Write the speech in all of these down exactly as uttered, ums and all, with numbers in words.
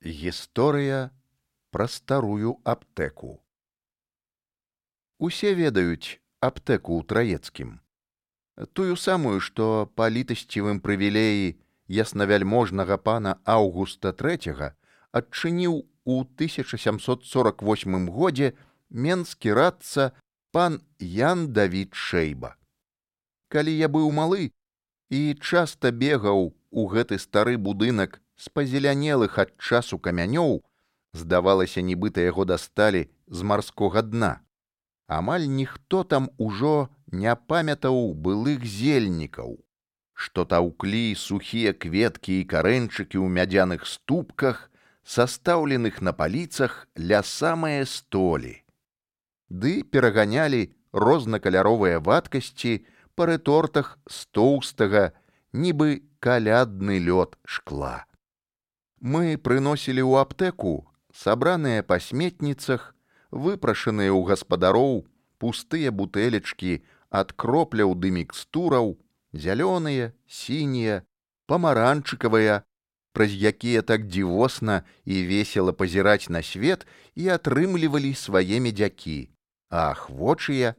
Гісторыя пра старую аптэку. Усе ведаюць аптэку ў Траецкім. Тую самую, што па літасцівым прывілеі яснавяльможнага пана Аўгуста трэцяга адчыніў у тысяча сямсот сорак восьмым годзе менскі радца пан Ян Давід Шэйба. Калі я быў малы і часта бегаў у гэты стары будынак з пазелянелых ад часу камянёў, здавалася, нібыта яго дасталі з марскога дна. Амаль ніхто там ужо не памятаў былых зельнікаў, што таўклі сухія кветкі і карэнчыкі ў мядзяных ступках, састаўленых на паліцах ля самае столі. Ды пераганялі рознакаляровыя вадкасці па рэтортах з тоўстага, нібы калядны лёд шкла. Мы прыносілі ў аптэку сабраныя па сметніцах, выпрашаныя ў гаспадароў пустыя бутэлечкі ад кропляў ды мікстураў, зялёныя, сінія, памаранчыкавыя, праз якія так дзівосна і весела пазіраць на свет і атрымлівалі свае медзякі, а ахвочыя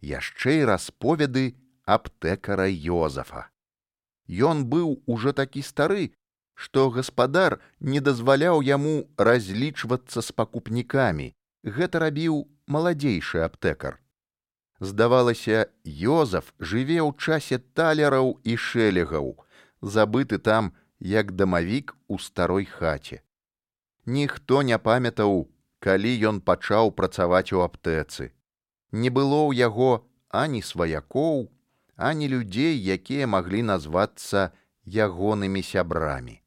яшчэ і расповеды аптэкара Ёзафа. Ён быў ужо такі стары, што гаспадар не дазваляў яму разлічвацца з пакупнікамі. Гэта рабіў маладзейшы аптэкар. Здавалася, Ёзаф жыве ў часе талераў і шэлегаў, забыты там, як дамавік у старой хаце. Ніхто не памятаў, калі ён пачаў працаваць у аптэцы. Не было ў яго ані сваякоў, ані людзей, якія маглі назвацца ягонымі сябрамі.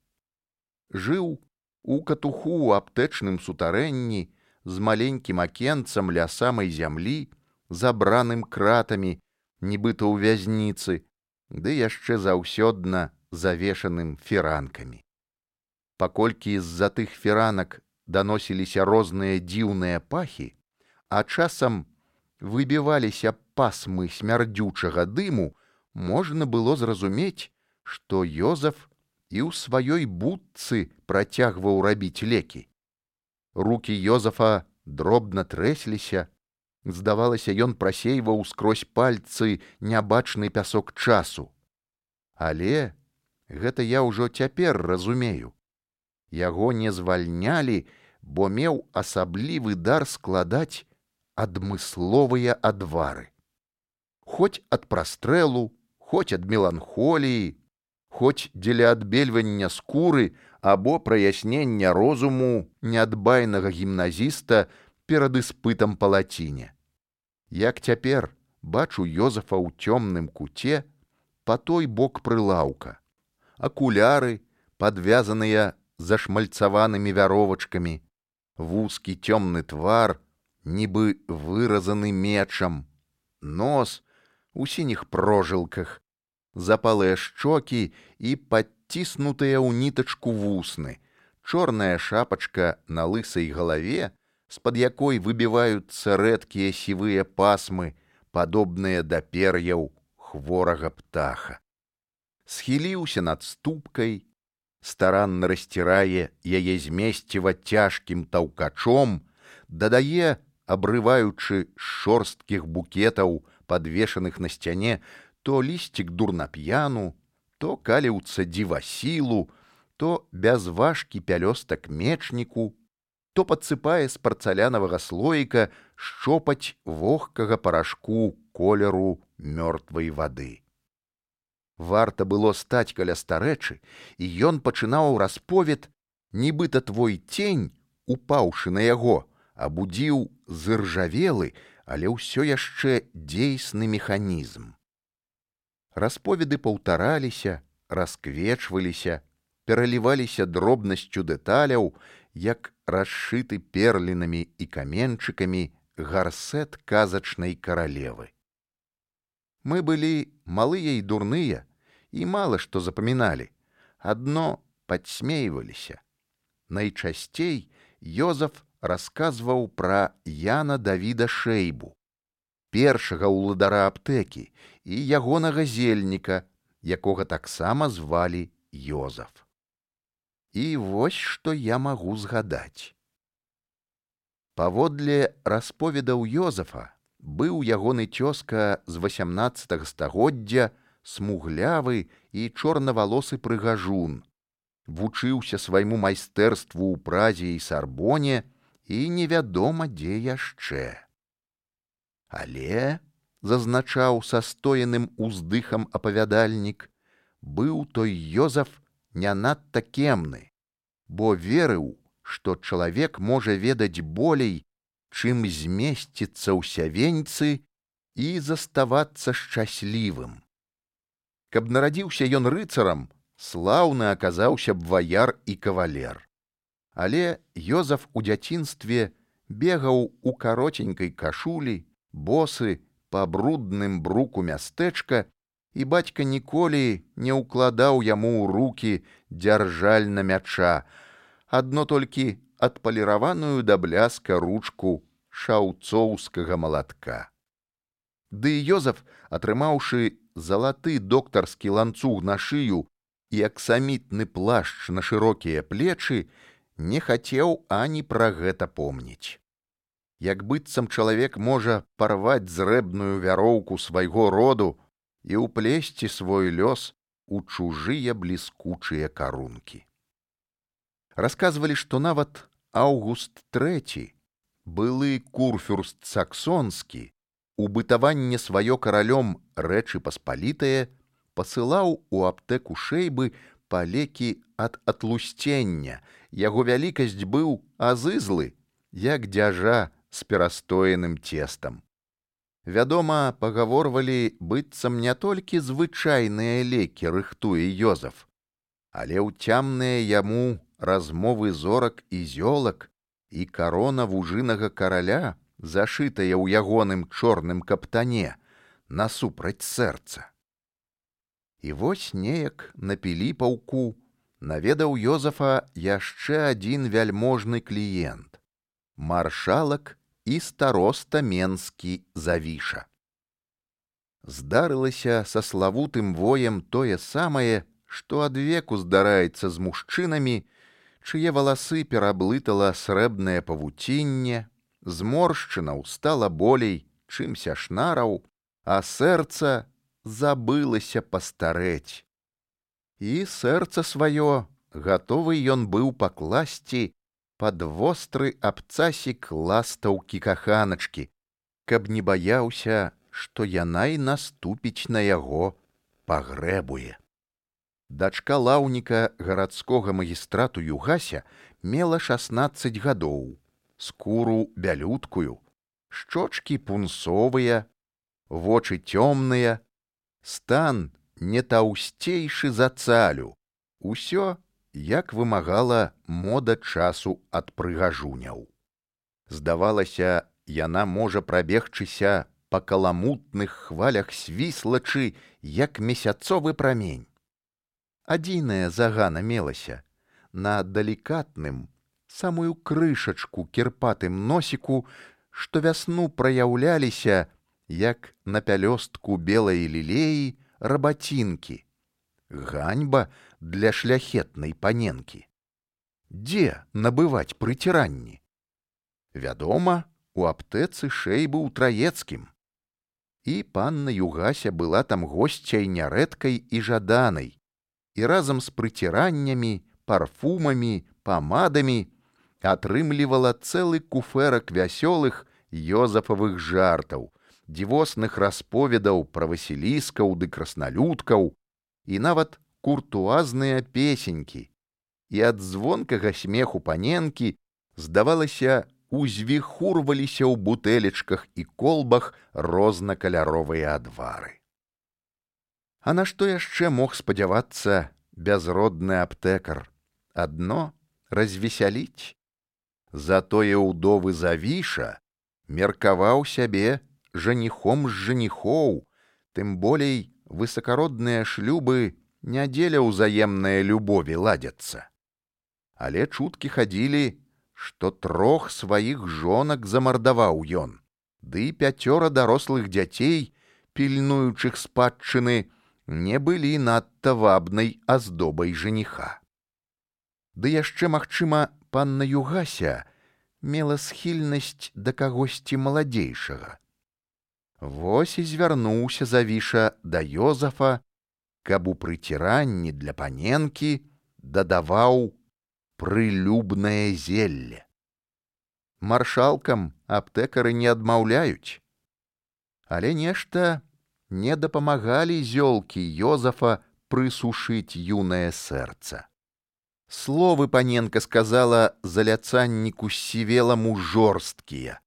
Жыў у катуху ў аптэчным сутарэнні з маленькім акенцам ля самай зямлі, забраным кратамі, нібыта ў вязніцы, ды яшчэ заўсёдна завешаным фіранкамі. Паколькі з-за тых фіранак даносіліся розныя дзіўныя пахі, а часам выбіваліся пасмы смярдзючага дыму, можна было зразумець, што Ёзаф і ў сваёй будцы працягваў рабіць лекі. Рукі Ёзафа дробна трэсліся, здавалася, ён прасейваў скрозь пальцы нябачны пясок часу. Але гэта я ўжо цяпер разумею. Яго не звальнялі, бо меў асаблівы дар складаць адмысловыя адвары. Хоць ад прастрэлу, хоць ад меланхоліі, хоць дзеля адбельвання скуры або праяснення розуму неадбайнага гімназіста перад іспытам па лаціне. Як цяпер бачу Ёзафа ў цёмным куце па той бок прылаўка. Акуляры, падвязаныя зашмальцаванымі вяровачкамі, вузкі цёмны твар, нібы выразаны мечам, нос у сініх прожылках, запалыя шчокі і падціснутыя ў нітачку вусны, чорная шапачка на лысай галаве, з-пад якой выбіваюцца рэдкія сівыя пасмы, падобныя да пер'яў хворага птаха. Схіліўся над ступкай, старанна расцірае яе змесціва цяжкім таўкачом, дадае, абрываючы з шорсткіх букетаў, падвешаных на сцяне, то лісцік дурнап'яну, то каліўца дзівасілу, то бязважкі пялёстак мечніку, то падсыпае з парцалянавага слоіка шчопаць вогкага парашку колеру мёртвай вады. Варта было стаць каля старэчы, і ён пачынаў расповед, нібыта твой цень, упаўшы на яго, абудзіў зыржавелы, але ўсё яшчэ дзейсны механізм. Расповеды паўтараліся, расквечваліся, пераліваліся дробнасцю дэталяў, як расшыты перлінамі і каменчыкамі гарсэт казачнай каралевы. Мы былі малыя і дурныя, і мала што запаміналі, адно падсмейваліся. Найчасцей Ёзаф расказваў пра Яна Давіда Шэйбу, першага ўладара аптэкі, і ягонага зельніка, якога таксама звалі Ёзаф. І вось што я магу згадаць. Паводле расповедаў Ёзафа, быў ягоны цёзка з васямнаццатага стагоддзя, смуглявы і чорнавалосы прыгажун, вучыўся свайму майстэрству ў Празе і Сарбоне і невядома дзе яшчэ. Але, зазначаў са стоеным уздыхам апавядальнік, быў той Ёзаф не надта кемны, бо верыў, што чалавек можа ведаць болей, чым змесціцца ў сявеньцы і заставацца шчаслівым. Каб нарадзіўся ён рыцарам, слаўны аказаўся б ваяр і кавалер. Але Ёзаф у дзяцінстве бегаў у каротенькай кашулі, босы па брудным бруку мястэчка, і бацька ніколі не ўкладаў яму ў рукі дзяржальна мяча, адно толькі адпаліраваную да бляска ручку шаўцоўскага малатка. Ды Ёзаф, атрымаўшы залаты доктарскі ланцуг на шыю і аксамітны плашч на шырокія плечы, не хацеў ані пра гэта помніць. Як быццам чалавек можа парваць зрэбную вяроўку свайго роду і ўплесці свой лёс у чужыя бліскучыя карункі. Расказвалі, што нават Аўгуст трэці, былы курфюрст саксонскі, у бытаванне сваё каралём Рэчы Паспалітае пасылаў у аптэку Шэйбы па лекі ад атлусцення. Яго вялікасць быў азызлы, як дзяжа з перастоеным цестам. Вядома, пагаворвалі, быццам не толькі звычайныя лекі рыхтуе Ёзаф, але ўцямныя яму размовы зорак і зёлак і карона вужынага караля, зашытая ў ягоным чорным каптане, насупраць сэрца. І вось неяк на Піліпаўку наведаў Ёзафа яшчэ адзін вяльможны кліент — маршалак і староста менскі Завіша. Здарылася са славутым воем тое самае, што адвеку здараецца з мужчынамі, чые валасы пераблытала срэбнае павуцінне, зморшчынаў стала болей, чымся шнараў, а сэрца забылася пастарэць. І сэрца сваё гатовы ён быў пакласці пад востры абцасік ластаўкі каханачкі, каб не баяўся, што яна і наступіць на яго пагрэбуе. Дачка лаўніка гарадскога магістрату Югася мела шаснаццаць гадоў, скуру бялюткую, шчочкі пунсовыя, вочы цёмныя, стан не таўсцейшы за цалю, усё, як вымагала мода часу ад прыгажуняў. Здавалася, яна можа прабегчыся па каламутных хвалях свіслачы, як месяцовы прамень. Адзіная загана мелася на далікатным, самую крышачку кірпатым носіку, што вясну праяўляліся, як на пялёстку белай лілеі, рабацінкі. Ганьба для шляхетнай паненкі. Дзе набываць прыціранні? Вядома, у аптэцы Шэйбы ў Траецкім. І панна Югася была там госцяй нярэдкай і жаданай, і разам з прыціраннямі, парфумамі, памадамі атрымлівала цэлы куфэрак вясёлых Ёзафавых жартаў, дзівосных расповедаў пра васіліскаў ды красналюдкаў, і нават куртуазныя песенькі, і ад звонкага смеху паненкі, здавалася, узвіхурваліся ў бутэлечках і колбах рознакаляровыя адвары. А на што яшчэ мог спадзявацца бязродны аптэкар? Адно развесяліць. Затое ўдовы Завіша меркаваў сябе жаніхом з жаніхоў, тым болей высакародныя шлюбы не дзеля ўзаемнае любові ладзяцца. Але чуткі хадзілі, што трох сваіх жонак замардаваў ён, ды пяцёра дарослых дзяцей, пільнуючых спадчыны, не былі надта вабнай аздобай жаніха. Ды яшчэ, магчыма, панна Югася мела схільнасць да кагосьці маладзейшага. Вось і звярнуўся Завіша да Ёзафа, каб у прыціранні для паненкі дадаваў прылюбнае зелле. Маршалкам аптэкары не адмаўляюць. Але нешта не дапамагалі зёлкі Ёзафа прысушыць юнае сэрца. Словы паненка сказала заляцанніку сівеламу жорсткія.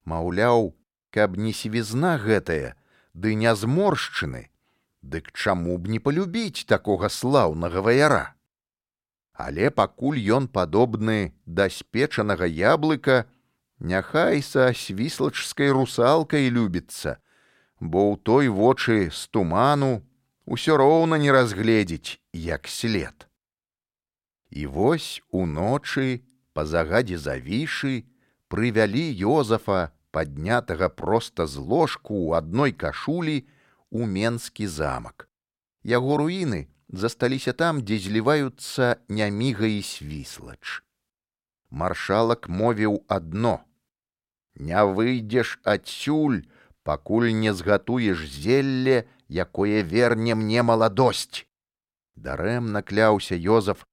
Маўляў, каб не сівізна гэтая, ды не зморшчыны, дык чаму б не палюбіць такога слаўнага ваяра? Але пакуль ён падобны да спечанага яблыка, няхай са свіслачскай русалкай любіцца, бо ў той вочы з туману усё роўна не разгледзець, як след. І вось уночы, па загадзе Завішы, прывялі Ёзафа, паднятага проста з ложку ў адной кашулі, у Менскі замак. Яго руіны засталіся там, дзе зліваюцца Няміга і Свіслач. Маршалак мовіў адно: «Не выйдзеш адсюль, пакуль не згатуеш зелле, якое верне мне маладосць». Дарэмна кляўся Ёзаф,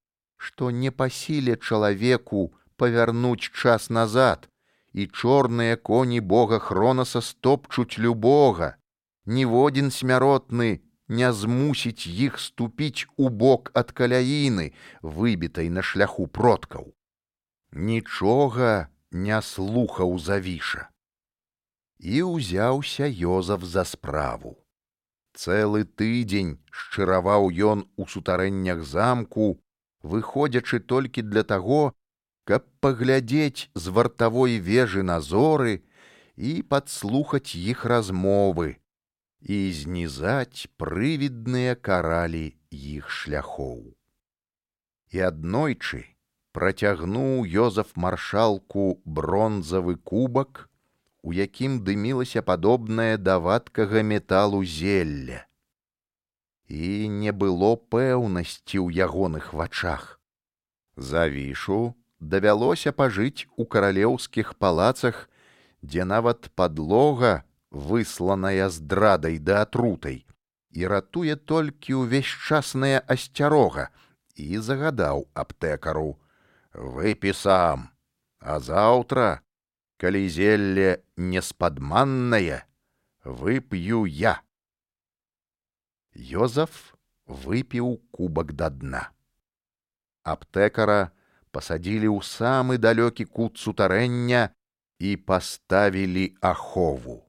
што не па сіле чалавеку павярнуць час назад, і чорныя коні бога Хронаса стопчуць любога, ніводзін смяротны не змусіць іх ступіць у бок ад каляіны, выбітай на шляху продкаў. Нічога не слухаў Завіша. І ўзяўся Ёзаф за справу. Цэлы тыдзень шчыраваў ён у сутарэннях замку, выходзячы толькі для таго, каб паглядзець з вартавой вежы на зоры і падслухаць іх размовы і знізаць прывідныя каралі іх шляхоў. І аднойчы працягнуў Ёзаф маршалку бронзавы кубак, у якім дымілася падобнае да вадкага металу зелля. І не было пэўнасці ў ягоных вачах. Завішу давялося пажыць у каралеўскіх палацах, дзе нават падлога, высланая здрадай да атрутай, і ратуе толькі ўвесьчасная асцярога, і загадаў аптэкару: «Выпі сам, а заўтра, калі зелле неспадманнае, вып'ю я». Ёзаф выпіў кубак да дна. Аптэкара пасадзілі ў самы далёкі кут сутарэння і паставілі ахову.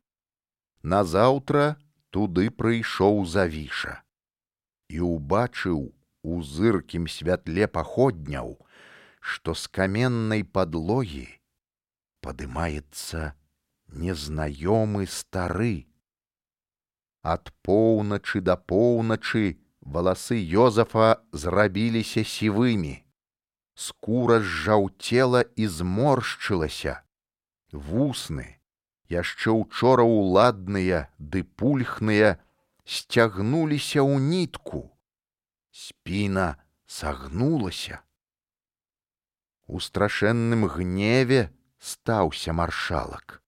Назаўтра туды прыйшоў Завіша і ўбачыў у зыркім святле паходняў, што з каменнай падлогі падымаецца незнаёмы стары. Ад поўначы да поўначы валасы Ёзафа зрабіліся сівымі, скура зжаўцела і зморшчылася, вусны, яшчэ учора ўладныя ды пульхныя, сцягнуліся ў нітку, спіна сагнулася. У страшэнным гневе стаўся маршалак.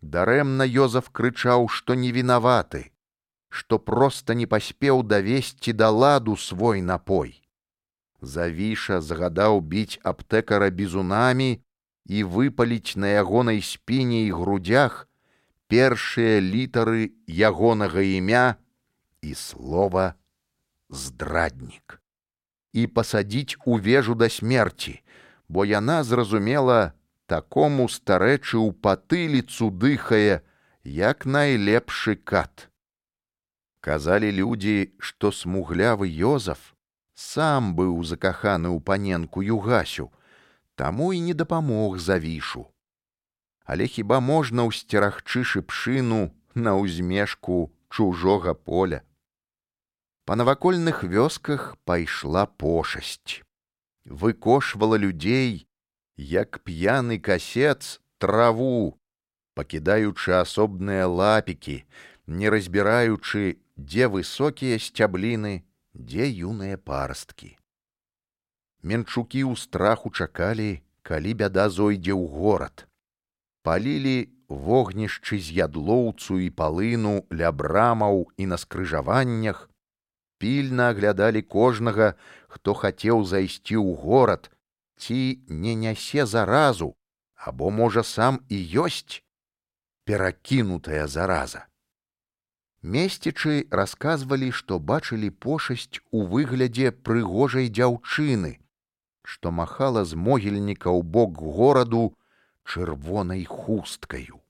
Дарэмна Ёзаф крычаў, што не вінаваты, што проста не паспеў давесці да ладу свой напой. Завіша загадаў біць аптэкара бізунамі і выпаліць на ягонай спіне і грудях першыя літары ягонага імя і слова «здраднік». І пасадзіць у вежу да смерці, бо яна, зразумела, такому старэчы ў патыліцу дыхае, як найлепшы кат. Казалі людзі, што смуглявы Ёзаф сам быў закаханы ў паненку Югасю, таму і не дапамог Завішу. Але хіба можна ўсцерагчы шыпшыну на ўзмешку чужога поля? Па навакольных вёсках пайшла пошасць. Выкошвала людзей, як п'яны касец, траву, пакідаючы асобныя лапікі, не разбіраючы, дзе высокія сцябліны, дзе юныя парасткі. Менчукі ў страху чакалі, калі бяда зойдзе ў горад. Палілі вогнішчы з ядлоўцу і палыну ля брамаў і на скрыжаваннях, пільна аглядалі кожнага, хто хацеў зайсці ў горад, ці не нясе заразу, або, можа, сам і ёсць перакінутая зараза. Месцічы расказвалі, што бачылі пошасць у выглядзе прыгожай дзяўчыны, што махала з могільніка ў бок гораду чырвонай хусткаю.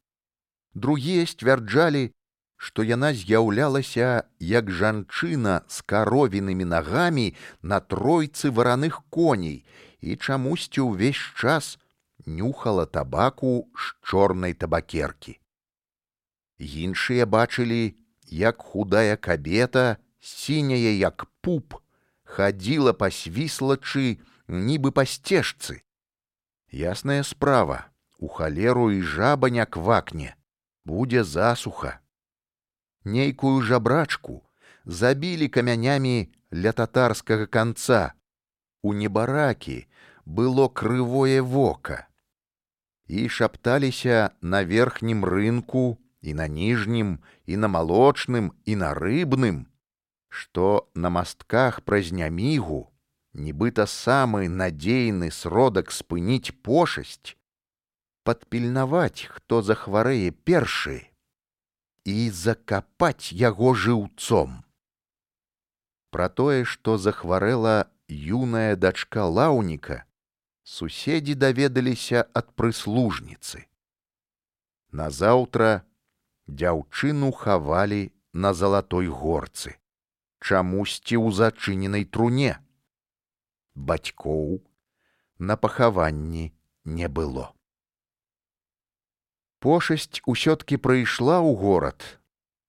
Другія сцвярджалі, што яна з'яўлялася як жанчына з каровінымі нагамі на тройцы вараных коней і чамусьці ўвесь час нюхала табаку з чорнай табакеркі. Іншыя бачылі, як худая кабета, сіняя як пуп, хадзіла па свіслачы, нібы па сцежцы. Ясная справа, у халеру і жаба не квакне, будзе засуха. Нейкую жабрачку забілі камянямі ля татарскага канца. У небаракі было крывое вока. І шапталіся на верхнім рынку, і на ніжнім, і на малочным, і на рыбным, што на мастках праз нямігу, нібыта самы надзейны сродак спыніць пошасць, падпільнаваць, хто захварэе першы, і закапаць яго жыўцом. Пра тое, што захварэла юная дачка лаўніка, суседзі даведаліся ад прыслужніцы. Назаўтра дзяўчыну хавалі на залатой горцы, чамусьці ў зачыненай труне. Бацькоў на пахаванні не было. Пошасць усё-ткі прыйшла ў горад,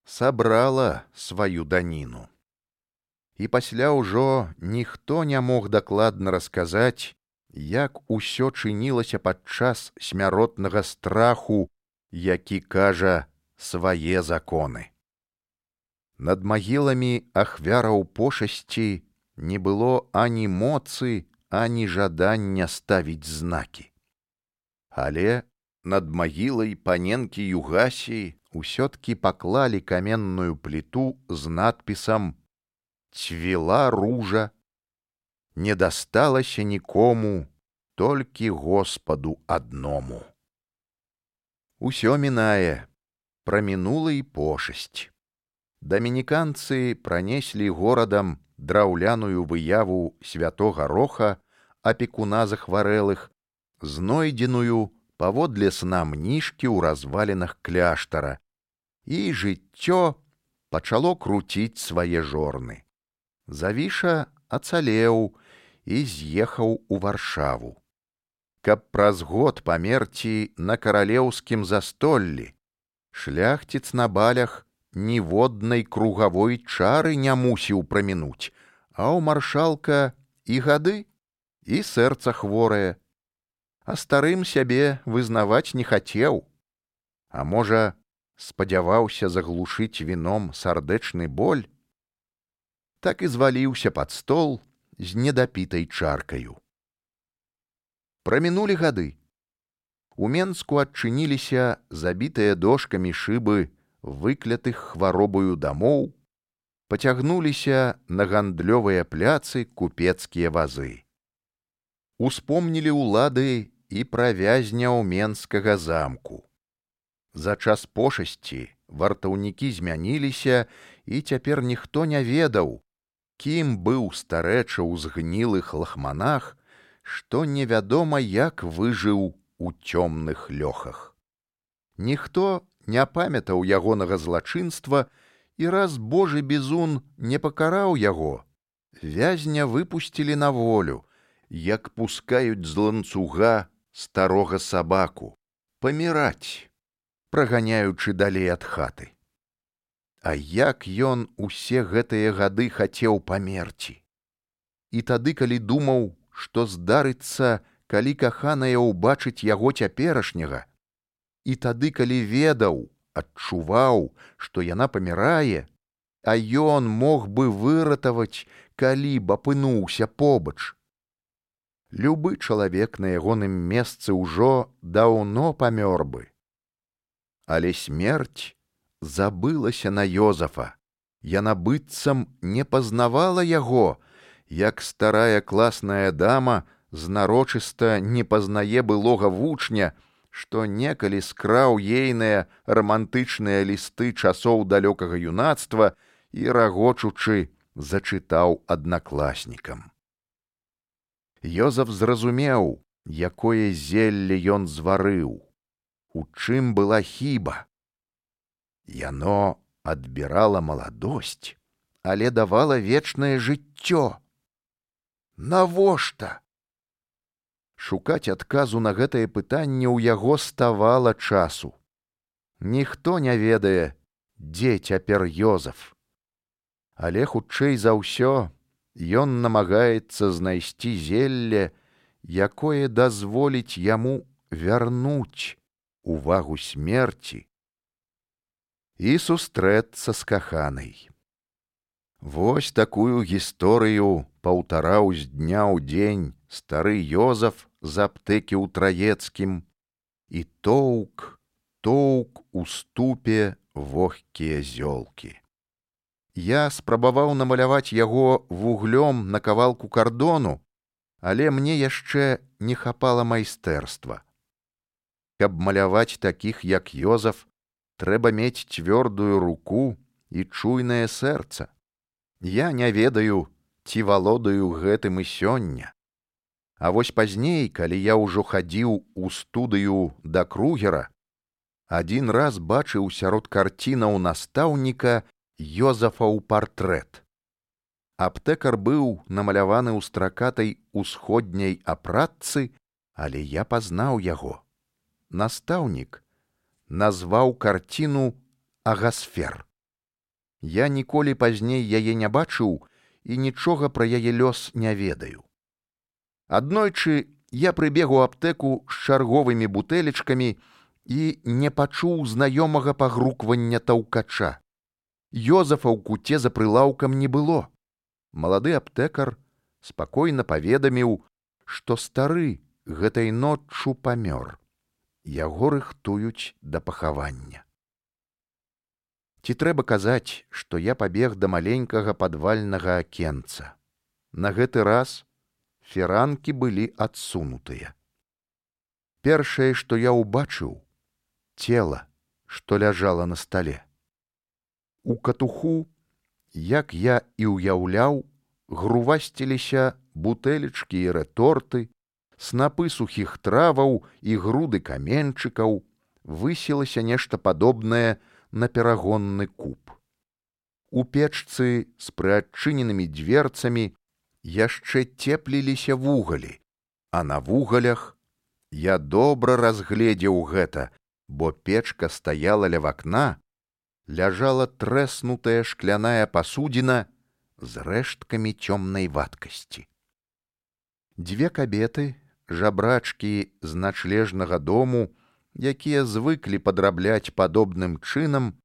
сабрала сваю даніну. І пасля ўжо ніхто не мог дакладна расказаць, як усё чынілася падчас смяротнага страху, які кажа свае законы. Над магіламі ахвяраў пошасці не было ані моцы, ані жадання ставіць знакі. Але над магілай паненкі Югасі ўсё-ткі паклалі каменную пліту з надпісам «Цвіла ружа, не дасталася нікому, толькі Господу адному». Усё мінае, прамінула і пошасць. Дамініканцы пранеслі горадам драўляную выяву святога Роха, апекуна захварэлых, знойдзеную паводле сна мнішкі ў развалінах кляштара, і жыццё пачало круціць свае жорны. Завіша ацалеў і з'ехаў у Варшаву, каб праз год памерці на каралеўскім застоллі. Шляхціц на балях ніводнай кругавой чары не мусіў прамінуць, а ў маршалка і гады, і сэрца хворае. А старым сябе вызнаваць не хацеў. А можа, спадзяваўся заглушыць віном сардэчны боль? Так і зваліўся пад стол з недапітай чаркаю. Прамінулі гады. У Менску адчыніліся забітыя дошкамі шыбы выклятых хваробаю дамоў, пацягнуліся на гандлёвыя пляцы купецкія вазы. Успомнілі ўлады і пра вязняў Менскага замку. За час пошасці вартаўнікі змяніліся, і цяпер ніхто не ведаў, кім быў старэча ў згнілых лахманах, што невядома як выжыў у цёмных лёхах. Ніхто не памятаў ягонага злачынства, і раз Божы бізун не пакараў яго, вязня выпусцілі на волю, як пускаюць з ланцуга старога сабаку, паміраць, праганяючы далей ад хаты. А як ён усе гэтыя гады хацеў памерці? І тады, калі думаў, што здарыцца, калі каханая ўбачыць яго цяперашняга, і тады, калі ведаў, адчуваў, што яна памірае, а ён мог бы выратаваць, калі б апынуўся побач. любы чалавек на ягоным месцы ўжо даўно памёр бы. Але смерць забылася на Ёзафа. Яна быццам не пазнавала яго, як старая класная дама знарочыста не пазнае былога вучня, што некалі скраў ейныя рамантычныя лісты часоў далёкага юнацтва і, рагочучы, зачытаў аднакласнікам. Ёзаф зразумеў, якое зелле ён зварыў, у чым была хіба. Яно адбірала маладосць, але давала вечнае жыццё. Навошта? Шукаць адказу на гэтае пытанне ў яго ставала часу. Ніхто не ведае, дзе цяпер Ёзаф. Але хутчэй за ўсё ён намагаецца знайсці зелле, якое дазволіць яму вярнуць увагу смерці і сустрэцца з каханай. Вось такую гісторыю паўтараў з дня ў дзень стары Ёзаф з аптэкі ў Траецкім і тоўк, тоўк у ступе вогкія зёлкі. Я спрабаваў намаляваць яго вуглём на кавалку кардону, але мне яшчэ не хапала майстэрства. Каб маляваць такіх, як Ёзаф, трэба мець цвёрдую руку і чуйнае сэрца. Я не ведаю, ці валодаю гэтым і сёння. А вось пазней, калі я ўжо хадзіў у студыю да Кругера, адзін раз бачыў сярод карцінаў настаўніка Ёзафаў партрэт. Аптэкар быў намаляваны ў стракатай усходняй апратцы, але я пазнаў яго. Настаўнік назваў карціну «Агасфер». Я ніколі пазней яе не бачыў і нічога пра яе лёс не ведаю. Аднойчы я прыбег у аптэку з чарговымі бутэлечкамі і не пачуў знаёмага пагруквання таўкача. Ёзафа ў куце за прылаўкам не было. Малады аптэкар спакойна паведаміў, што стары гэтай ноччу памёр. Яго рыхтуюць да пахавання. Ці трэба казаць, што я пабег да маленькага падвальнага акенца. На гэты раз фіранкі былі адсунутыя. Першае, што я ўбачыў, цела, што ляжала на стале. У катуху, як я і ўяўляў, грувасціліся бутэлечкі і рэторты, снапы сухіх траваў і груды каменчыкаў, высілася нешта падобнае на перагонны куб. У печцы з прыадчыненымі дверцамі яшчэ цепліліся вугалі, а на вугалях я добра разгледзеў гэта, бо печка стаяла ля вакна, ляжала трэснутая шкляная пасудзіна з рэшткамі цёмнай вадкасці. Дзве кабеты, жабрачкі з начлежнага дому, якія звыклі падрабляць падобным чынам,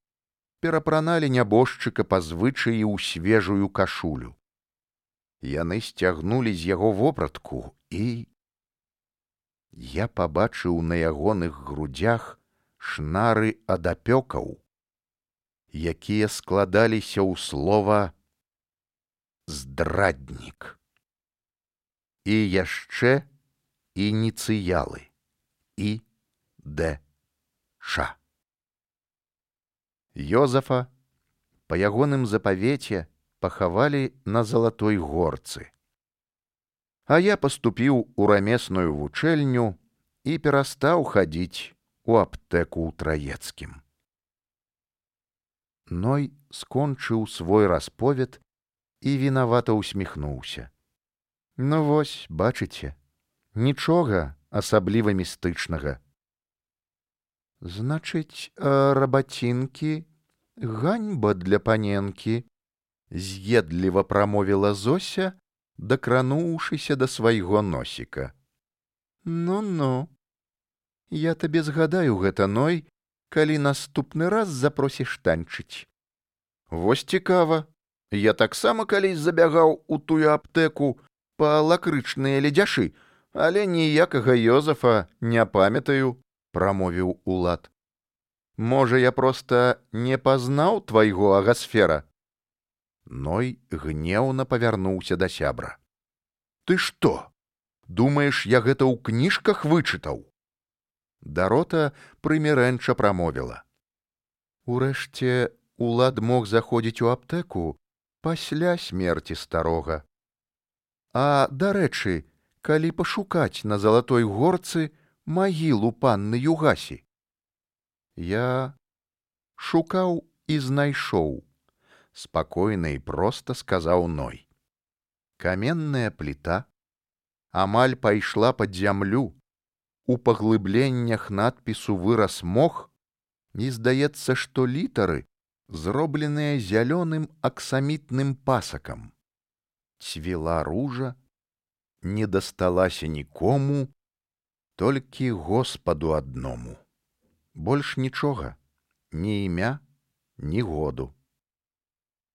перапраналі нябожчыка па звычаі ў свежую кашулю. Яны сцягнулі з яго вопратку, і я пабачыў на ягоных грудзях шнары ад апёкаў, якія складаліся ў слова «здраднік». І яшчэ ініцыялы І Д Ш. Ёзафа па ягоным запавеце пахавалі на Залатой горцы. А я паступіў у рамесную вучэльню і перастаў хадзіць у аптэку ў Траецкім. Ной скончыў свой расповед і вінавата ўсміхнуўся. Ну вось, бачыце, нічога асабліва містычнага. Значыць, а рабацінкі ганьба для паненкі, з'едліва прамовіла Зося, дакрануўшыся да свайго носіка. Ну-ну, я табе згадаю гэта, Ной, калі наступны раз запросіш танчыць. Вось цікава, я таксама калісь забягаў у тую аптэку па лакрычныя ледзяшы, Але ніякага Ёзафа не памятаю, прамовіў Улад. Можа, я проста не пазнаў твайго Агасфера? Ной гнеўна павярнуўся да сябра. Ты што? Думаеш, я гэта ў кніжках вычытаў? Дарота прымірэнча прамовіла. Урэшце, Улад мог заходзіць у аптэку пасля смерці старога. А, дарэчы, калі пашукаць на Залатой горцы магілу панны Югасі? Я шукаў і знайшоў, спакойна і проста сказаў Ной. Каменная пліта амаль пайшла пад зямлю, у паглыбленнях надпісу вырас мох, і здаецца, што літары зробленыя зялёным аксамітным пасакам. Цвіла ружа, не дасталася нікому, толькі Господу адному. Больш нічога, ні імя, ні году.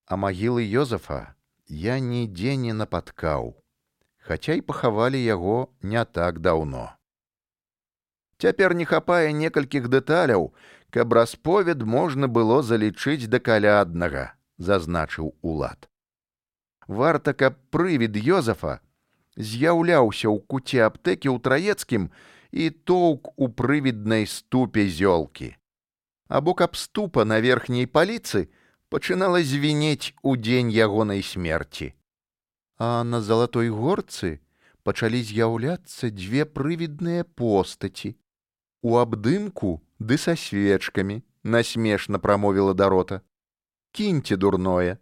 А магілы Ёзафа я нідзе не напаткаў, хаця й пахавалі яго не так даўно. Цяпер не хапае некалькіх дэталяў, каб расповед можна было залічыць да каляднага, зазначыў Улад. Варта, каб прывід Ёзафа з'яўляўся ў куце аптэкі ў Траецкім і тоўк у прывіднай ступе зёлкі. Або каб ступа на верхняй паліцы пачынала звінець у дзень ягонай смерці. А на Залатой горцы пачалі з'яўляцца дзве прывідныя постаці. У абдымку ды са свечкамі, насмешна прамовіла Дарота. Кіньце дурное.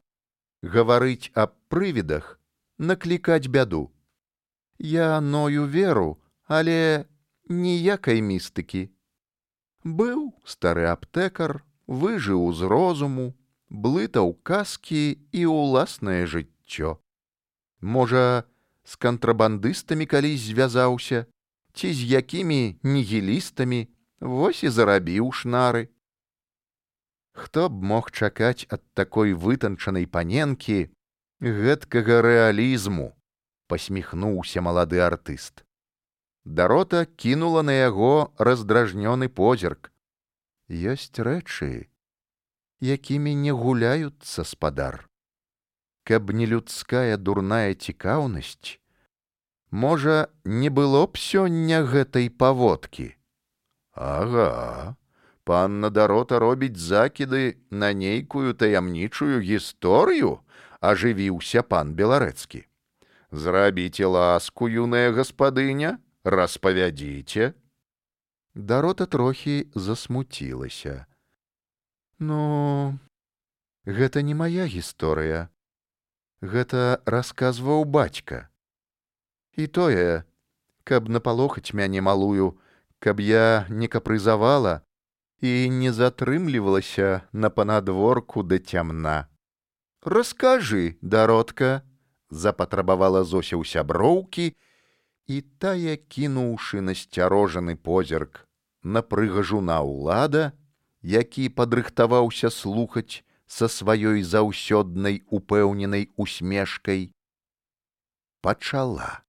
Гаварыць аб прывідах, наклікаць бяду. Я Ною веру, але ніякай містыкі. Быў стары аптэкар, выжыў з розуму, блытаў казкі і ўласнае жыццё. Можа, з кантрабандыстамі калісь звязаўся, ці з якімі нігілістамі, вось і зарабіў шнары. Хто б мог чакаць ад такой вытанчанай паненкі гэткага рэалізму, пасміхнуўся малады артыст. Дарота кінула на яго раздражнёны позірк. Ёсць рэчы, якімі не гуляюцца, спадар. Каб не людская дурная цікаўнасць, можа, не было б сёння гэтай паводкі. Ага, панна Дарота робіць закіды на нейкую таямнічую гісторыю, ажывіўся пан Беларэцкі. Зрабіце ласку, юная гаспадыня, распавядзіце. Дарота трохі засмуцілася. Ну, гэта не мая гісторыя. Гэта расказваў бацька. І тое, каб напалохаць мяне малую, каб я не капрызавала і не затрымлівалася на панадворку да цямна. Раскажы, Даротка, запатрабавала Зося ў сяброўкі, і тая, кінуўшы насцярожаны позірк на прыгажуна Улада, які падрыхтаваўся слухаць са сваёй заўсёднай упэўненай усмешкай, пачала.